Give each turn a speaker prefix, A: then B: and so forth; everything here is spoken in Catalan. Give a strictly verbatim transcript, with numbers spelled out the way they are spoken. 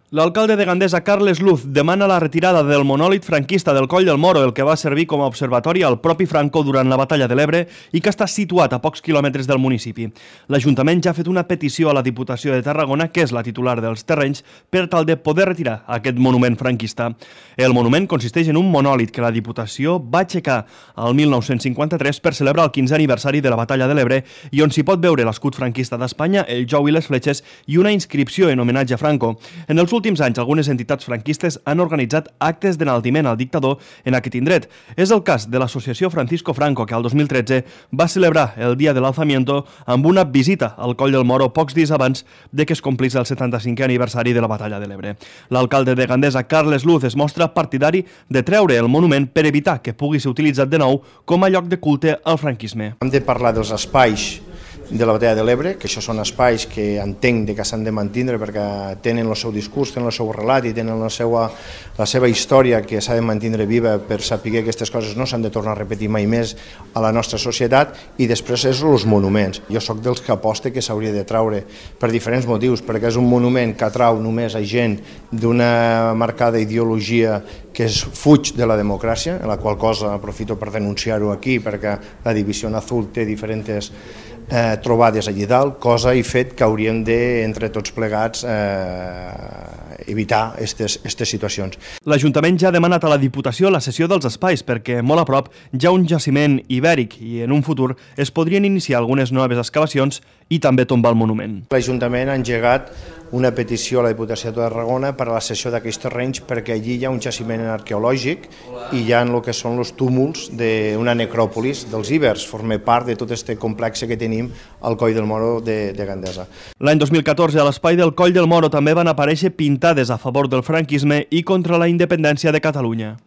A: L'alcalde de Gandesa, Carles Luz, demana la retirada del monòlit franquista del Coll del Moro, el que va servir com a observatori al propi Franco durant la batalla de l'Ebre i que està situat a pocs quilòmetres del municipi. L'Ajuntament ja ha fet una petició a la Diputació de Tarragona, que és la titular dels terrenys, per tal de poder retirar aquest monument franquista. El monument consisteix en un monòlit que la Diputació va aixecar el mil nou-cents cinquanta-tres per celebrar el quinzè aniversari de la batalla de l'Ebre i on s'hi pot veure l'escut franquista d'Espanya, el jou i les fletxes i una inscripció en homenatge a Franco. En els últims anys, algunes entitats franquistes han organitzat actes d'enaltiment al dictador en aquest indret. És el cas de l'associació Francisco Franco, que al dos mil tretze va celebrar el Dia del Alzamiento amb una visita al Coll del Moro pocs dies abans de que es complís el setanta-cinquè aniversari de la batalla de l'Ebre. L'alcalde de Gandesa, Carles Luz, es mostra partidari de treure el monument per evitar que pugui ser utilitzat de nou com a lloc de culte al franquisme.
B: Hem de parlar dels espais de la batalla de l'Ebre, que això són espais que entenc de que s'han de mantindre perquè tenen el seu discurs, tenen el seu relat i tenen la seva, la seva història que s'ha de mantindre viva per saber que aquestes coses no s'han de tornar a repetir mai més a la nostra societat. I després és els monuments. Jo sóc dels que aposta que s'hauria de traure per diferents motius, perquè és un monument que atrau només a gent d'una marcada ideologia que es fuig de la democràcia, en la qual cosa aprofito per denunciar-ho aquí, perquè la Divisió Azul té diferents Eh, trobades allí dalt, cosa i fet que hauríem de, entre tots plegats, eh, evitar aquestes situacions.
A: L'Ajuntament ja ha demanat a la Diputació la cessió dels espais perquè molt a prop hi ha un jaciment ibèric i en un futur es podrien iniciar algunes noves excavacions i també tombar el monument.
B: L'Ajuntament ha engegat una petició a la Diputació de Tarragona per a la cessió d'aquests terrenys perquè allí hi ha un jaciment arqueològic i hi ha el que són els túmuls d'una necròpolis dels ibers, forma part de tot aquest complex que tenim al Coll del Moro de, de Gandesa.
A: L'any dos mil catorze a l'espai del Coll del Moro també van aparèixer pintades a favor del franquisme i contra la independència de Catalunya.